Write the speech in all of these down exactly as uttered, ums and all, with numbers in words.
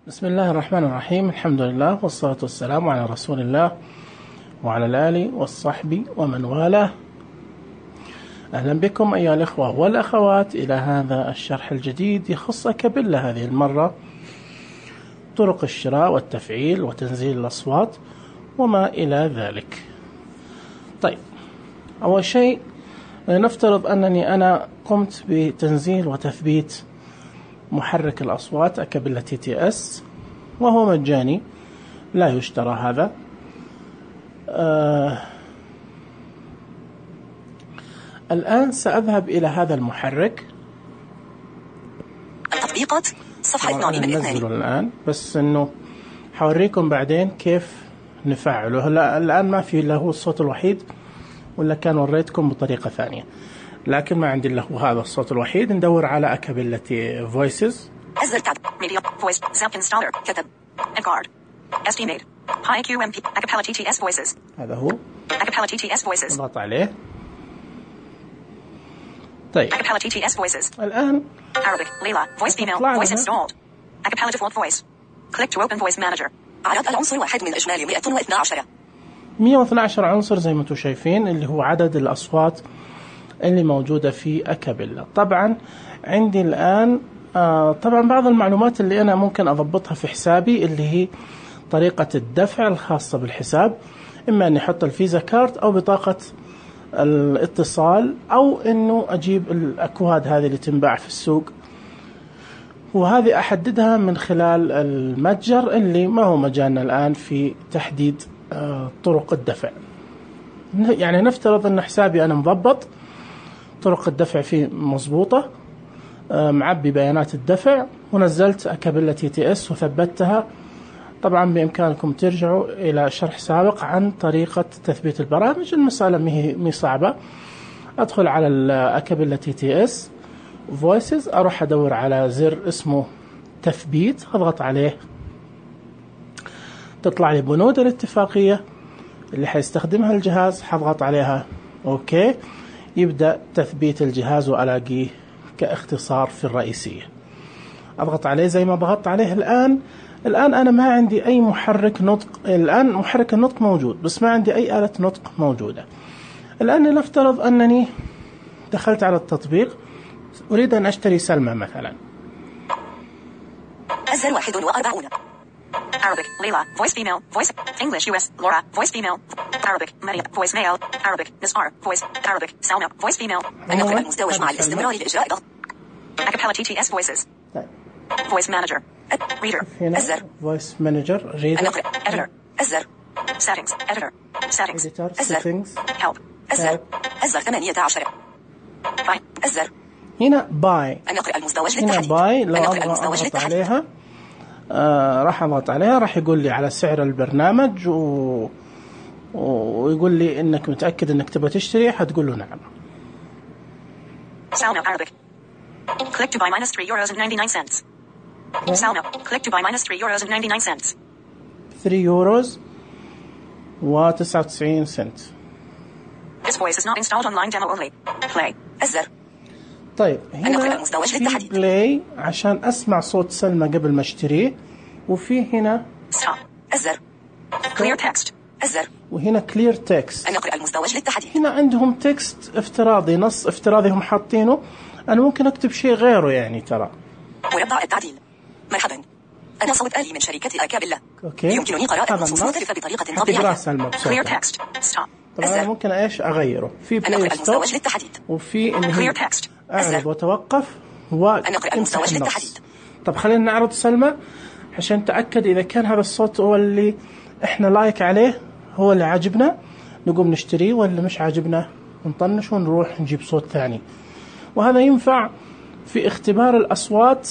بسم الله الرحمن الرحيم. الحمد لله والصلاة والسلام على رسول الله وعلى الآل والصحب ومن والاه. أهلا بكم أيها الإخوة والأخوات إلى هذا الشرح الجديد يخص أكابيلا، هذه المرة طرق الشراء والتفعيل وتنزيل الأصوات وما إلى ذلك. طيب، أول شيء نفترض أنني أنا قمت بتنزيل وتثبيت محرك الأصوات أكابيلا تي تي اس، وهو مجاني لا يشترى هذا. آه الآن سأذهب إلى هذا المحرك. التطبيقات صفحة اثنين من اثنين الآن، بس إنه حوريكم بعدين كيف نفعله. هلا الآن ما في له الصوت الوحيد، ولا كان وريتكم بطريقة ثانية، لكن ما عندي له هذا الصوت الوحيد. ندور على أكابيلا فويسز. أزر تاب ميديا فويس زاب انستالر كتب انكارد استيميت هاي كيو ام بي أكابيلا تي تي اس فويسز. هذا هو أكابيلا تي تي اس فويسز. نضغط عليه. طيب، أكابيلا تي تي اس فويسز. الآن Arabic ليلى voice female voice installed أكابيلا default voice click to open voice manager. عدد العنصر واحد من إجمالي مئة واثنى عشر مئة واثنى عشر عنصر زي ما انتم شايفين، اللي هو عدد الأصوات اللي موجودة في أكابيلا. طبعا عندي الآن آه طبعا بعض المعلومات اللي أنا ممكن أضبطها في حسابي، اللي هي طريقة الدفع الخاصة بالحساب، إما أني أحط الفيزا كارت أو بطاقة الاتصال، أو أنه أجيب الأكواد هذه اللي تنباع في السوق، وهذه أحددها من خلال المتجر اللي ما هو مجالنا الآن في تحديد آه طرق الدفع. يعني نفترض أن حسابي أنا مضبط، طرق الدفع فيه مضبوطة، معبي بيانات الدفع، ونزلت أكابيلا تي تي اس وثبتها. طبعا بإمكانكم ترجعوا إلى شرح سابق عن طريقة تثبيت البرامج، المسألة مي صعبة. أدخل على الأكابيلا تي تي اس فويسز، أروح أدور على زر اسمه تثبيت، أضغط عليه، تطلع لي بنود الاتفاقية اللي حيستخدمها الجهاز، حضغط عليها أوكي، يبدأ تثبيت الجهاز وألاقيه كاختصار في الرئيسية. أضغط عليه زي ما ضغطت عليه الآن. الآن أنا ما عندي أي محرك نطق، الآن محرك النطق موجود بس ما عندي أي آلة نطق موجودة. الآن نفترض أنني دخلت على التطبيق، أريد أن أشتري سلمى مثلا. أزر واحد وأربعون Arabic ليلى voice female voice English U S Laura voice female Arabic Maria voice male Arabic Nisar voice Arabic Salma voice female. النقل المزدوج مع الاستمرار لإجراء ضغط أكابيلا تي تي اس voices voice manager reader أزر voice manager reader النقل editor أزر settings editor settings أزر help أزر أزر ثمانية عشر باي أزر هنا باي النقل المزدوج هنا للتحديد. باي لو النقل المزدوج أضغط عليها آه راح أضغط عليها، راح يقول لي على سعر البرنامج و... ويقول لي إنك متأكد إنك تبغى تشتري، حتقول له نعم. Salmo Arabic click to buy minus three euros and ninety-nine cents. Salmo click to buy minus three euros and ninety-nine cents. ثلاثة يوروز وتسعة وتسعين سنت. This voice is not installed online demo only. Play أزر. طيب، هنا في بلاي عشان أسمع صوت سلمى قبل ما اشتريه، وفي هنا stop أزر clear text أزر، وهنا clear text النقل المزدوج للتحديد. هنا عندهم تكست افتراضي، نص افتراضي هم حاطينه، أنا ممكن أكتب شيء غيره يعني. ترى مربع التعديل مرحبا، أنا صوت آلي من شركة أكابيلا. أوكي. يمكنني قراءة نصوص مختلفة بطريقة طبيعية. clear text stop طبعا أنا ممكن إيش أغيره في النقل المزدوج للتحديد، وفي إنه clear text أعرض وتوقف النقل المزدوج للتحديد. طب خلينا نعرض سلمى عشان نتأكد إذا كان هذا الصوت هو اللي إحنا لايك عليه، هو اللي عاجبنا، نقوم نشتريه، ولا مش عاجبنا نطنش ونروح نجيب صوت ثاني. وهذا ينفع في اختبار الأصوات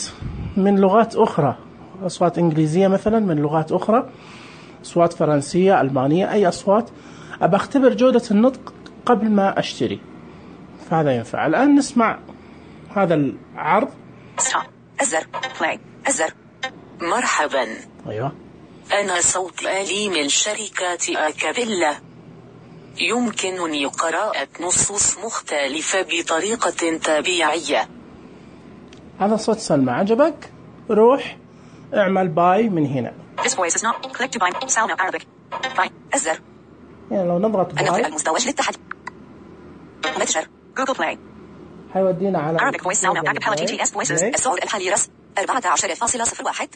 من لغات أخرى، أصوات إنجليزية مثلا من لغات أخرى، أصوات فرنسية، ألمانية، أي أصوات أبى أختبر جودة النطق قبل ما أشتري، فهذا ينفع. الآن نسمع هذا العرض. stop أزر play أزر. مرحبا، أيوة، أنا صوت آلي من شركة أكابيلا، يمكنني قراءة نصوص مختلفة بطريقة طبيعية. هذا صوت سلمى، عجبك؟ روح اعمل باي من هنا. This voice is not. Click to buy. Sound Arabic. Buy. الزر. يعني لو نضغط باي. النقر المزدوج للتحديد. متجر. جوجل بلاي. حيودينا على Arabic voice sound acapella تي تي إس voices. السعر الحالي رس أربعة عشر فاصلة صفر واحد.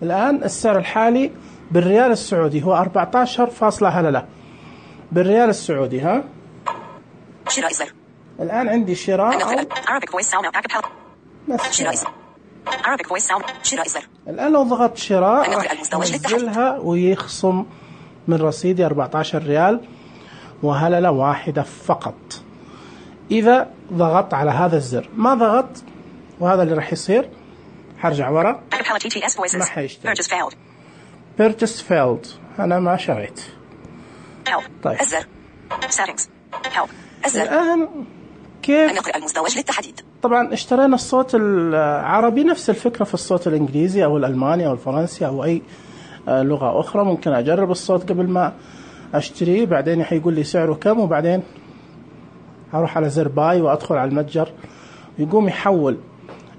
الآن السعر الحالي بالريال السعودي هو أربعة عشر فاصلة هللة بالريال السعودي. ها شراء الزر. الآن عندي شراء Arabic voice sound acapella. شراء الزر. Arabic voice sound. شراء الزر. الآن لو ضغطت شراء ينزلها ويخصم من رصيدي أربعة عشر ريال وهللة واحدة فقط إذا ضغطت على هذا الزر. ما ضغط وهذا اللي راح يصير. حرجع ورا ما حيشتغل. Purchase failed. أنا ما شريت. طيب الزر. Settings. Help. الزر. الآن كيف النقر المزدوج للتحديد. طبعا اشترينا الصوت العربي، نفس الفكرة في الصوت الإنجليزي أو الألماني أو الفرنسي أو أي لغة أخرى. ممكن أجرب الصوت قبل ما أشتريه، بعدين حيقول لي سعره كم، وبعدين أروح على زر باي وأدخل على المتجر ويقوم يحول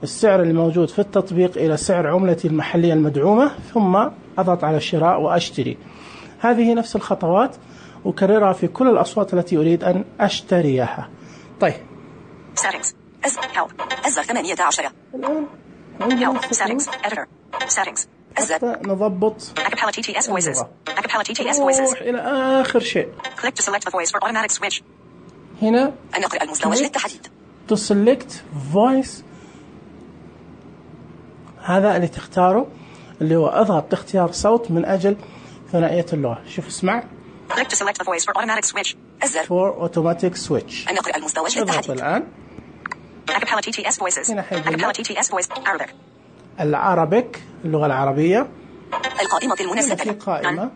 السعر اللي موجود في التطبيق إلى سعر عملتي المحلية المدعومة، ثم أضغط على الشراء وأشتري. هذه نفس الخطوات أكررها في كل الأصوات التي أريد أن أشتريها. طيب Settings. الزر ثمانية عشر. الآن عندنا Settings. Editor. Settings. حتى نضبط Acapella تي تي إس voices. Acapella تي تي إس voices. إلى آخر شيء. Click to select the voice for automatic switch. هنا النقر المزدوج للتحديد. To select voice، هذا اللي تختاره اللي هو اضغط اختيار صوت من أجل ثنائية اللغة. شوف اسمع. Click to select the voice for automatic switch. الزر. For automatic switch. النقر المزدوج للتحديد. الآن. Acapella تي تي إس voices. Acapella تي تي إس voice. Arabic. العربيك اللغة العربية. القائمة المنزلة. في قائمة.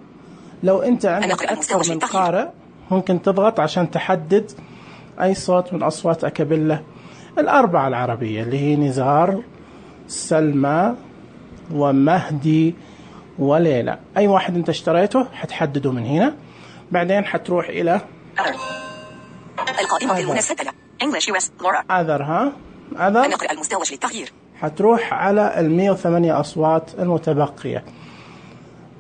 لو أنت عندك أكثر من قارئ ممكن تضغط عشان تحدد أي صوت من أصوات أكابيلا الأربعة العربية اللي هي نزار، سلمى، ومهدي، وليلى. أي واحد أنت اشتريته حتحدده من هنا. بعدين حتروح إلى القائمة المنسجلة English يو إس لورا. أذر. ها أذر. النقر المزدوج للتغيير. حتروح على المية وثمانية أصوات المتبقية،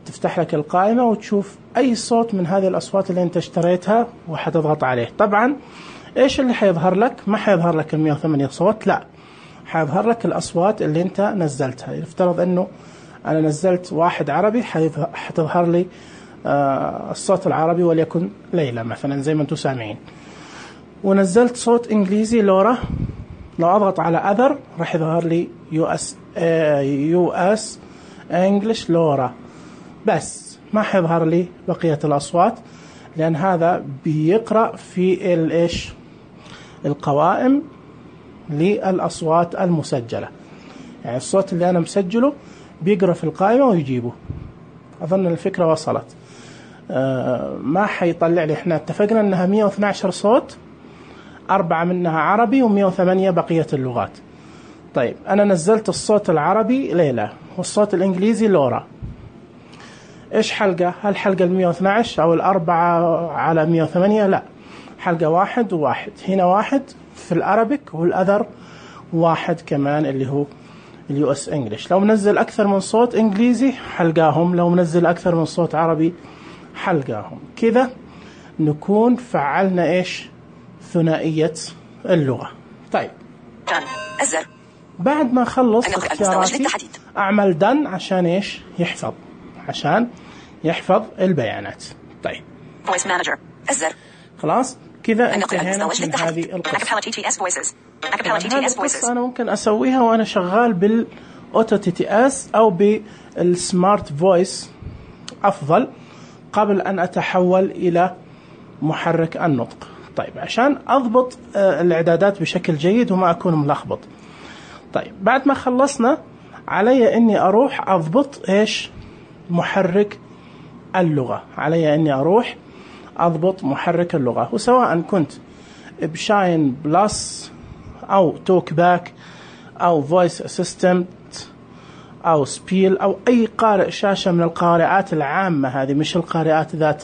تفتح لك القائمة وتشوف أي صوت من هذه الأصوات اللي أنت اشتريتها وحتضغط عليه. طبعا إيش اللي حيظهر لك؟ ما حيظهر لك المية وثمانية صوت، لا، حيظهر لك الأصوات اللي أنت نزلتها. يفترض أنه أنا نزلت واحد عربي حتظهر لي آه الصوت العربي وليكن ليلى مثلا زي ما أنتم سامعين. ونزلت صوت إنجليزي لورا، لو أضغط على أذر راح يظهر لي يو أس آه يو أس إنجليش لورا، بس ما حيظهر لي بقية الأصوات لأن هذا بيقرأ في الإيش القوائم للأصوات المسجلة. يعني الصوت اللي أنا مسجله بيقرأ في القائمة ويجيبه. أظن الفكرة وصلت. آه ما حيطلع لي. إحنا اتفقنا أنها مية واثني عشر صوت، أربعة منها عربي ومية وثمانية بقية اللغات. طيب أنا نزلت الصوت العربي ليلى والصوت الإنجليزي لورا. إيش حلقة؟ هل حلقة المية واثني عشر أو الأربعة على مية وثمانية؟ لا، حلقة واحد وواحد. هنا واحد في الأرابيك والأذر واحد كمان اللي هو اليو اس انجليش. لو منزل أكثر من صوت إنجليزي حلقاهم، لو منزل أكثر من صوت عربي حلقاهم. كذا نكون فعلنا إيش ثنائية اللغة. طيب الزر. بعد ما خلص اختياراتي أعمل دن عشان إيش يحفظ، عشان يحفظ البيانات. طيب Voice Manager. الزر. خلاص كذا انتهينا من هذه القصة. القصة أنا ممكن أسويها وأنا شغال بالأوتو تي تي اس أو بالسمارت فويس أفضل قبل أن أتحول إلى محرك النطق. طيب عشان أضبط الإعدادات بشكل جيد وما أكون ملخبط. طيب بعد ما خلصنا علي أني أروح أضبط إيش محرك اللغة. علي أني أروح أضبط محرك اللغة، وسواء كنت بشاين بلس أو توك باك أو فويس أسيستنت أو سبيل أو أي قارئ شاشة من القارئات العامة هذه، مش القارئات ذات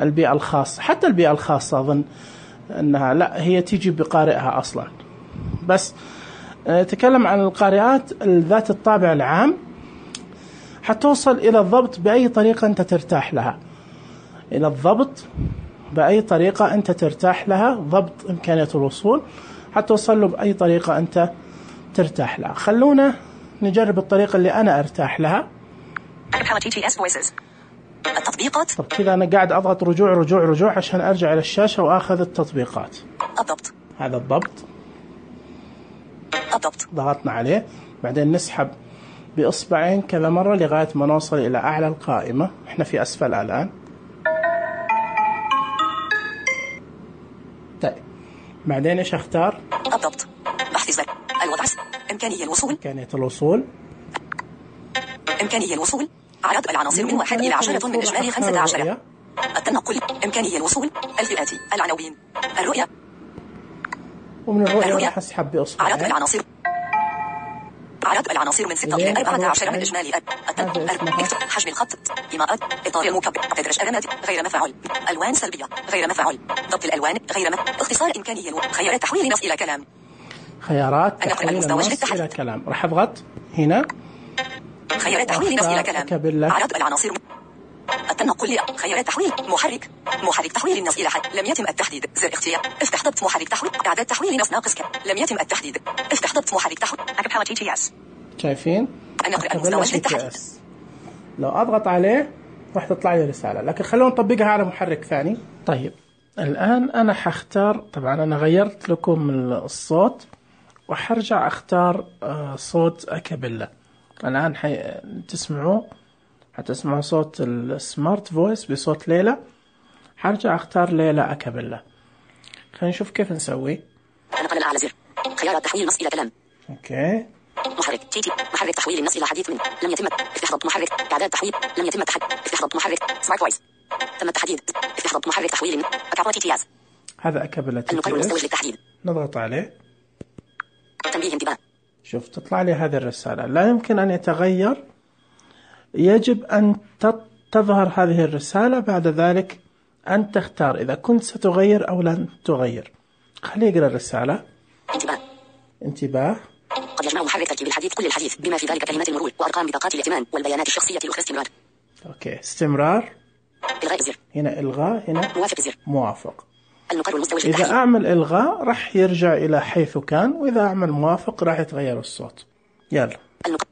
البيئة الخاصة. حتى البيئة الخاصة أظن أنها لا، هي تيجي بقارئها أصلا. بس نتكلم عن القارئات ذات الطابع العام حتوصل إلى الضبط بأي طريقة أنت ترتاح لها، إلى الضبط بأي طريقة أنت ترتاح لها، ضبط إمكانية الوصول حتوصل له بأي طريقة أنت ترتاح لها. خلونا نجرب الطريقة اللي أنا أرتاح لها. التطبيقات. طب كذا أنا قاعد أضغط رجوع رجوع رجوع عشان أرجع إلى الشاشة وأخذ التطبيقات. الضبط. هذا الضبط. الضبط. ضغطنا عليه، بعدين نسحب بإصبعين كذا مرة لغاية ما نوصل إلى أعلى القائمة. إحنا في أسفل الآن. طيب بعدين إيش أختار؟ الضبط. بحث الزر. الوضع. إمكانية الوصول. إمكانية الوصول. إمكانية الوصول. عدد العناصر من واحد إلى عشرة من إجمالي خمسة عشر. التنقل. إمكانية الوصول. الفئات. العناوين. الرؤية. ومن الرؤية راح أسحب بإصبعين. عدد العناصر. عدد العناصر من ستة إلى أربعة عشر من إجمالي. حجم الخط. إيماءات. إطار المكبر. تدرج أرماد. غير مفعول. ألوان سلبية. غير مفعول. ضبط الألوان. غير مفعول. اختصار إمكانية الو... خيارات تحويل نص إلى كلام. خيارات تحويل النص إلى كلام. راح أضغط هنا. خيارات تحويل نص إلى كلام. عدد العناصر. التنقل. خيارات تحويل. محرك. محرك تحويل النص إلى حد. لم يتم التحديد. زر اختيار. افتح ضبط محرك تحويل. إعداد تحويل نص ناقص كم. لم يتم التحديد. افتح ضبط محرك تحويل. أكابيلا تي تي إس. شايفين؟ النقر المزدوج للتحديد. لو أضغط عليه راح تطلع لي رسالة، لكن خلونا نطبقها على محرك ثاني. طيب الآن أنا حختار، طبعا أنا غيرت لكم الصوت وحرجع أختار صوت أكابيلا. الآن حي... تسمعوه، حتسمعوا صوت السمارت فويس بصوت ليلى. حرجع أختار ليلى أكابيلا. خلينا نشوف كيف نسوي. نقل الأعلى زر. خيارات تحويل النص إلى كلام. أوكي. محرك تي تي. محرك تحويل النص إلى حديث من. لم يتم. افتح ضبط محرك. إعداد تحويل. لم يتم التحديد. افتح ضبط محرك. سمارت فويس. تم التحديد. افتح ضبط محرك تحويل. أكابيلا تي تي إس. هذا أكابيلا تي تي إس. النقر المزدوج للتحديد. نضغط عليه. تنبيه انتباه. شوف تطلع لي هذه الرسالة. لا يمكن أن يتغير. يجب أن تظهر هذه الرسالة، بعد ذلك أن تختار إذا كنت ستغير أو لن تغير. خليه يقرأ الرسالة. انتباه. انتباه. قد يجمع محرك تركيب الحديث كل الحديث بما في ذلك كلمات المرور وأرقام بطاقات الائتمان والبيانات الشخصية الأخرى. استمرار. أوكي استمرار. إلغاء الزر. هنا إلغاء. هنا موافق الزر. موافق. النقر المزدوج للتحديد. إذا أعمل إلغاء راح يرجع إلى حيث كان، وإذا أعمل موافق راح يتغير الصوت. يلا. النقر.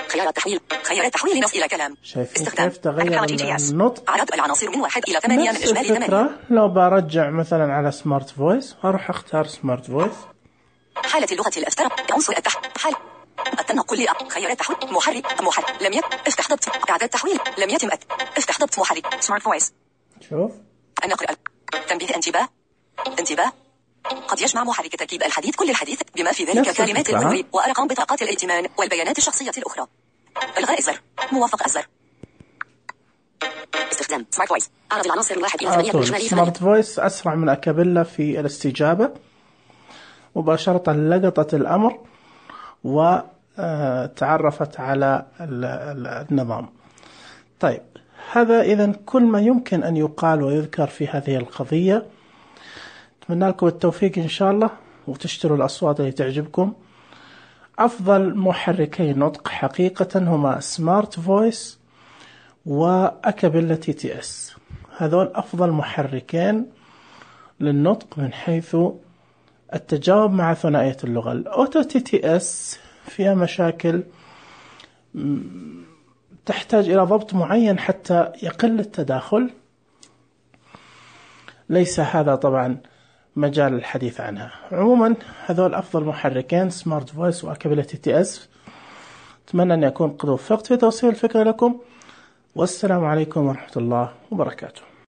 خيارات تحويل. خيارات تحويل نص إلى كلام. شايفين كيف تغير النطق؟ عدد العناصر من واحد إلى ثمانية من إجمالي ثمانية. لو برجع مثلا على سمارت فويس أروح أختار سمارت فويس. حالة اللغة الأفترة. عنصر التحويل. حال التنقل. خيارات تحويل. محرك. محرك. لم يتم. افتح ضبط. إعداد تحويل. لم يتم. افتح ضبط محرك. سمارت فويس. شوف. النقر. تنبيه انتباه. انتباه. قد يجمع محرك تركيب الحديث كل الحديث بما في ذلك كلمات المرور وأرقام بطاقات الائتمان والبيانات الشخصية الأخرى. إلغاء الزر. موافق الزر. استخدام سمارت فويس. أعرض العناصر من واحد إلى ثمانية من إجمالي. سمارت فويس أسرع من أكابيلا في الاستجابة، مباشرة لقطت الأمر وتعرفت على النظام. طيب هذا إذن كل ما يمكن أن يقال ويذكر في هذه القضية. أتمنى لكم التوفيق إن شاء الله، وتشتروا الأصوات اللي تعجبكم. أفضل محركي نطق حقيقة هما سمارت فويس وأكابيلا تي تي إس. هذول أفضل محركين للنطق من حيث التجاوب مع ثنائية اللغة. الأوتو تي تي إس فيها مشاكل تحتاج إلى ضبط معين حتى يقل التداخل. ليس هذا طبعا مجال الحديث عنها. عموما هذول أفضل محركين، سمارت فويس وأكابيلا تي تي إس. أتمنى أن يكون قد وفقت في توصيل الفكرة لكم، والسلام عليكم ورحمة الله وبركاته.